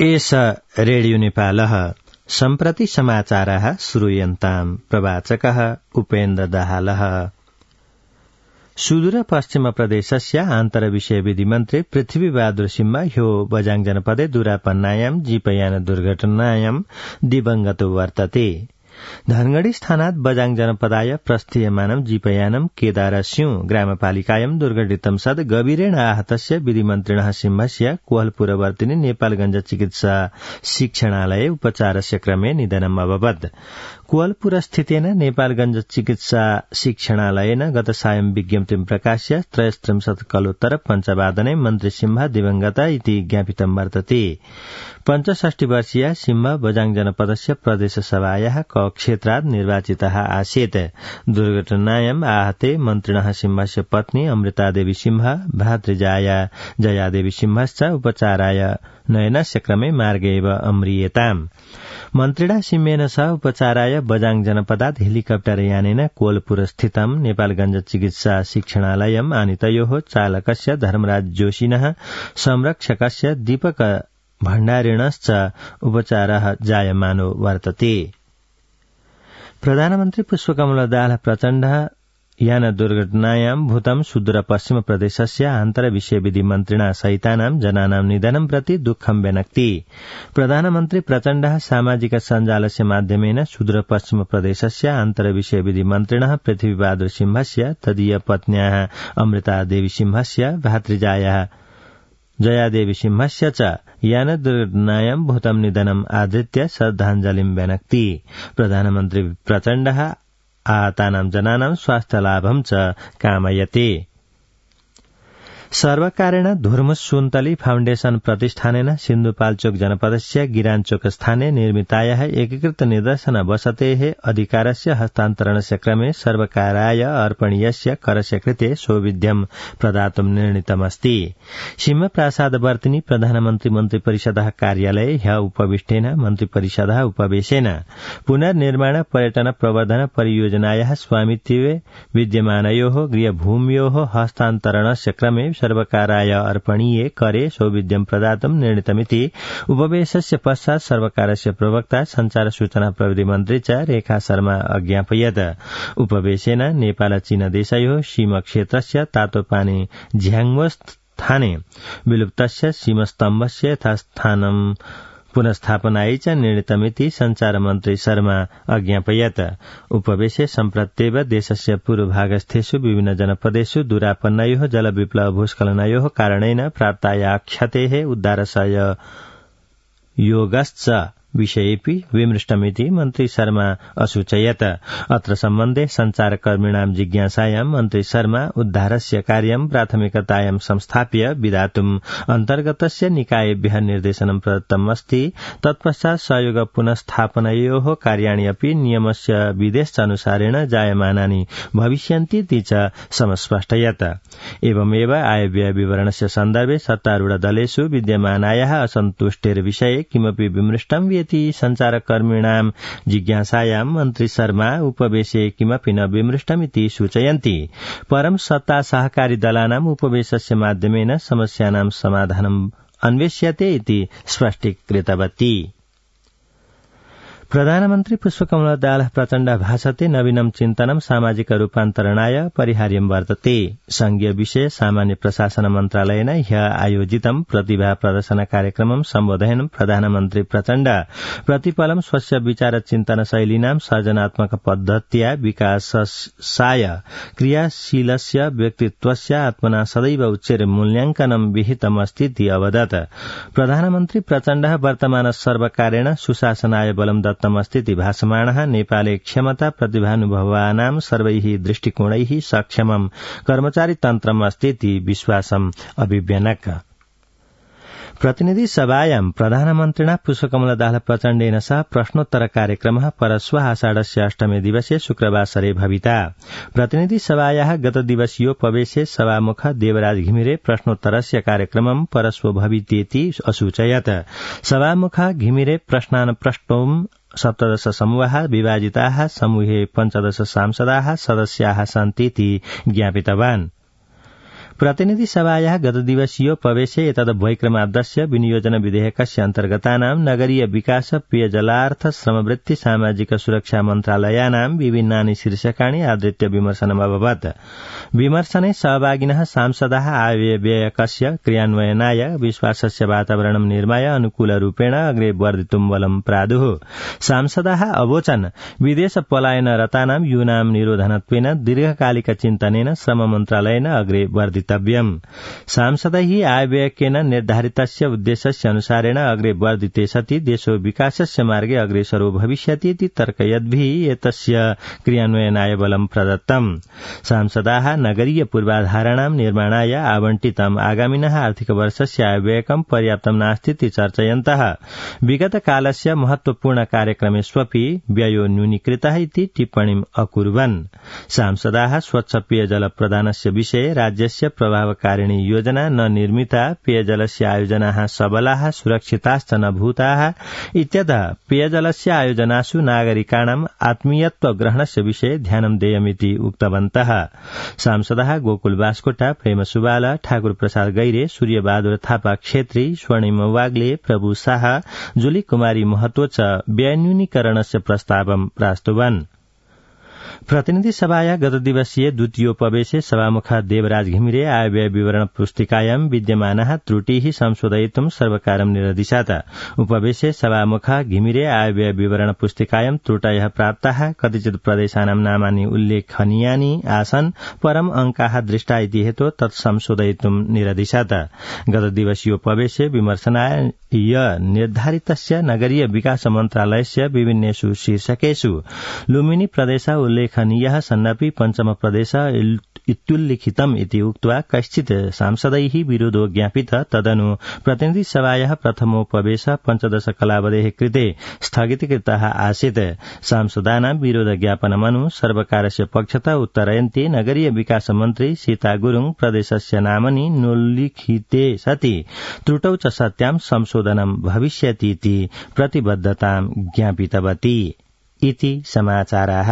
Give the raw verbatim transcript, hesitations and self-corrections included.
एष रेडियो नेपालः सम्प्रति समाचारः श्रूयन्ताम् प्रवाचकः उपेन्द्र दाहालः। सुदूर पश्चिम प्रदेशस्य आन्तरविषय विधि मन्त्री पृथ्वीबहादुर सिंह ह्यो बझाङ जनपदे दुरापन्नायां जीपयान दुर्घटनायां दिवंगतो वर्तते। धनगढ़ी स्थानात् बझाङ जनपदाय प्रस्थीयमानं जीपयानं केदारस्यु ग्रामपालिकायं दुर्घटितं सद् गभीरेण आहतस्य विधिमन्त्रिणः सिंहस्य कोहलपुरवर्तिनि नेपालगञ्ज चिकित्सा शिक्षणालये उपचारस्य क्रमे निधनम् अभवत्। कोहलपुरस्थितेन नेपालगञ्ज चिकित्सा शिक्षणालयेन गत सायं विज्ञप्तिं प्रकाश्य त्रयस्त्रिंशत् कलोत्तर पञ्चवादने मन्त्री सिंह दिवंगत इति ज्ञापितं वर्तते। पञ्चषष्टि वर्षीय सिंह बझाङ जनपदस्य प्रदेशसभायाः क क्षेत्रात् निर्वाचितः आसीत्। दुर्घटनायाम् आहते मन्त्रिणः सिंहस्य पत्नी अमृतादेवी सिंह भातृजाया जयादेवी सिंहश्च उपचाराय नयनस्य क्रमे मार्गे एव अम्रियेताम्। मन्त्रिणा सिंहेन सह उपचाराय बझाङ जनपदात् हेलिकप्टर यानेन कोलपुरस्थितं नेपालगञ्ज चिकित्सा शिक्षणालयम् आनीतयोः चालकस्य धर्मराज जोशिनः संरक्षकस्य दीपक भण्डारिणश्च उपचारः जायमानो वर्तते। प्रधानमन्त्री पुष्पकमल दाहाल प्रचण्डः यान दुर्घटनायां भूतं सुदूर पश्चिम प्रदेशस्य आन्तरविषय विधि मन्त्रिणा सहितानां जनानां निधनं प्रति दुःखं व्यनक्ति। प्रधानमन्त्री प्रचण्डः सामाजिक सञ्जालस्य माध्यमेन सुदूर पश्चिम प्रदेशस्य आन्तरविषय विधि मन्त्रिणः पृथ्वीबहादुर सिंहस्य तदीय पत्न्याः अमृतादेवी सिंहस्य भातृजायाः जयादेवी सिंहस्य च यान दुर्घटनायां भूतं निधनम् आधृत्य श्रद्धाञ्जलिं व्यनक्ति। प्रधानमन्त्री प्रचण्डः आहतानां जनानां स्वास्थ्यलाभं च कामयते। सर्वकारेण धुर्मुस सुन्तली फाउण्डेशन प्रतिष्ठानेन सिन्धुपाल्चोक जनपदस्य गिराञ्चोक स्थाने निर्मितायाः एकीकृत निदर्शन वसतेः अधिकारस्य हस्तान्तरणस्य क्रमे सर्वकाराय अर्पणीयस्य करस्य कृते सौविध्यं प्रदातुं निर्णीतमस्ति। सिंहप्रासादवर्तिनि प्रधानमन्त्री मन्त्रिपरिषदः कार्यालये ह्य उपविष्टेन मन्त्रिपरिषदः उपवेशेन पुनर्निर्माण पर्यटन प्रवर्धन परियोजनायाः स्वामित्वे विद्यमानयोः गृहभूम्योः हस्तान्तरणस्य क्रमे सर्वकाराय अर्पणीये करे सौविध्यं प्रदातुं निर्णीतमिति उपवेशस्य पश्चात् सर्वकारस्य प्रवक्ता संचार सूचना प्रविधि मन्त्री च रेखा शर्मा अज्ञापयत्। उपवेशेन नेपाल चीन देशयोः सीमक्षेत्रस्य तातोपानी झ्याङ्गो स्थाने विलुप्तस्य सीमस्तम्भस्य यथास्थानं पुनस्थापनायै च निर्णीतमिति संचार मन्त्री शर्मा अज्ञापयत्। उपवेशे सम्प्रत्येव देशस्य पूर्वभागस्थेषु विभिन्न जनपदेषु दुरापन्नयोः जलविप्लव भूस्खलनयोः कारणेन प्राप्ताया क्षतेः उद्धारस्य योगश्च विषयेऽपि विमृष्टमिति मन्त्री शर्मा असूचयत्। अत्र सम्बन्धे संचारकर्मिणां जिज्ञासायां मन्त्री शर्मा उद्धारस्य कार्यं प्राथमिकतायां संस्थाप्य विधातुम् अन्तर्गतस्य निकायेभ्यः निर्देशनं प्रदत्तमस्ति। तत्पश्चात् सहयोग पुनस्थापनयोः कार्याणि अपि नियमस्य विधेश्चानुसारेण जायमानानि भविष्यन्तीति च समस्पष्टयत्। एवमेव आयव्यय विवरणस्य सन्दर्भे सत्तारूढ दलेषु विद्यमानायाः असन्तुष्टेर्विषये किमपि विमृष्टं संचारकर्मिणां जिज्ञासायां मन्त्री शर्मा उपवेशे किमपि न विमृष्टमिति सूचयन्ति। परं सत्ता सहकारी दलानाम् उपवेशस्य माध्यमेन समस्यानां समाधानम् अन्वेष्यते इति स्पष्टीकृतवती। प्रधानमन्त्री पुष्पकमल दाहाल प्रचण्ड भाषते नवीनं चिन्तनं सामाजिक रूपान्तरणाय परिहार्यं वर्तते। संघीय विषय सामान्य प्रशासन मन्त्रालयेन ह्य आयोजितं प्रतिभा प्रदर्शन कार्यक्रमं सम्बोधयन् प्रधानमन्त्री प्रचण्ड प्रतिपलं स्वस्य विचार चिन्तन शैलीनां सर्जनात्मक पद्धत्या विकासाय क्रियाशीलस्य व्यक्तित्वस्य आत्मना सदैव उच्चैः मूल्याङ्कनं विहितमस्तीति अवदत्। प्रधानमन्त्री प्रचण्ड वर्तमान सर्वकारेण सुशासनाय बलं दत्तमस्तीति भाषमाणः नेपाले क्षमता प्रतिभानुभवानां सर्वैः दृष्टिकोणैः सक्षमं कर्मचारी तन्त्रम् अस्तीति विश्वासम् अभिव्यनक। प्रतिनिधि सभायां प्रधानमन्त्रिणा पुष्पकमल दाहाल प्रचण्डेन सह प्रश्नोत्तर कार्यक्रमः परश्वः आषाढस्य अष्टमे दिवसे शुक्रवासरे भविता। प्रतिनिधि सभायाः गत दिवसीयोपवेशे सभामुख देवराज घिमिरे प्रश्नोत्तरस्य कार्यक्रमं परश्व भवितेति असूचयत्। सभामुख घिमिरे प्रश्नान् प्रष्टुम् सप्तदश समूहाः विभाजिताः समूहे पञ्चदश सांसदाः सदस्याः सन्तीति ज्ञापितवान्। प्रतिनिधि सभायाः गतदिवसीयोपवेशे एतद्वैक्रमाब्दस्य विनियोजन विधेयकस्य अन्तर्गतानां नगरीय विकास पेयजलार्थ श्रमवृत्ति सामाजिक सुरक्षा मन्त्रालयानां विभिन्नानि शीर्षकाणि आधृत्य विमर्शनमभवत्। विमर्शने सहभागिनः सांसदाः आयव्ययकस्य क्रियान्वयनाय विश्वासस्य वातावरणं निर्माय अनुकूलरूपेण अग्रे वर्धितुं बलं प्रादुः। सांसदाः अवोचन् विदेश पलायनरतानां यूनां निरोधनत्वेन दीर्घकालिक चिन्तनेन श्रम मन्त्रालयेन अग्रे वर्धितव्यम्। सांसदैः आयव्ययकेन निर्धारितस्य उद्देश्यस्य अनुसारेण अग्रे वर्धिते सति देशो विकासस्य मार्गे अग्रेसरो भविष्यति इति तर्कयद्भिः एतस्य क्रियान्वयनाय बलं प्रदत्तम्। सांसदाः नगरीय पूर्वाधाराणां निर्माणाय आवंटितम् आगामिनः आर्थिक वर्षस्य आयव्ययकं पर्याप्तं नास्ति इति चर्चयन्तः विगतकालस्य महत्वपूर्ण कार्यक्रमेष्वपि व्ययो न्यूनीकृतः इति टिप्पणीम् अकुर्वन्। सांसदाः स्वच्छ पेयजल प्रदानस्य विषये राज्यस्य प्रभावकारिणी योजना न निर्मिता, पेयजलस्य आयोजनाः सबलाः सुरक्षिताश्च न भूताः इत्यतः पेयजलस्य आयोजनासु नागरिकाणाम् आत्मीयत्व ग्रहणस्य विषये ध्यानं देयमिति उक्तवन्तः। सांसदाः गोकुल बास्कोटा, प्रेम सुवाल, ठाकुर प्रसाद गैरे, सूर्यबहादुर थापा क्षेत्री, स्वर्णिम वाग्ले, प्रभु शाह, जुली कुमारी महतो च व्यन्यूनीकरणस्य प्रस्तावं प्रास्तुवन्। प्रतिनिधि सभाया गतदिवसीय द्वितीयोपवेशे सभामुख देवराज घिमिरे आयव्यय विवरण पुस्तिकायां विद्यमानाः त्रुटिः संशोधयितुं सर्वकारं निरदिशत्। उपवेशे सभामुख घिमिरे आयव्यय विवरण पुस्तिकायां त्रुटयः प्राप्ताः, कतिचित् प्रदेशानां नामानि उल्लेखनीयानि आसन्, परम् अंकाः दृष्टा इति हेतु तत् संशोधयितुं निरदिशत्। गतदिवसीयोपवेशे विमर्शनाय निर्धारितस्य नगरीय विकास मन्त्रालयस्य विभिन्नेषु शीर्षकेषु लुम्बिनी प्रदेश उल्लेखनीयः सन्नपि पञ्चम प्रदेश इत्युल्लिखितम् इति उक्त्वा कश्चित् सांसदैः विरोधो ज्ञापित। तदनु प्रतिनिधि सभायाः प्रथमोपवेश पञ्चदश कलावधेः कृते स्थगितीकृतः आसीत्। सांसदानां विरोध ज्ञापनमनु सर्वकारस्य पक्षतः उत्तरयन्ती नगरीय विकास मन्त्री सीता गुरुङ प्रदेशस्य नामनि नोल्लिखिते सति त्रुटौ च सत्यां संशोधनं भविष्यति इति प्रतिबद्धतां ज्ञापितवती इति समाचाराः।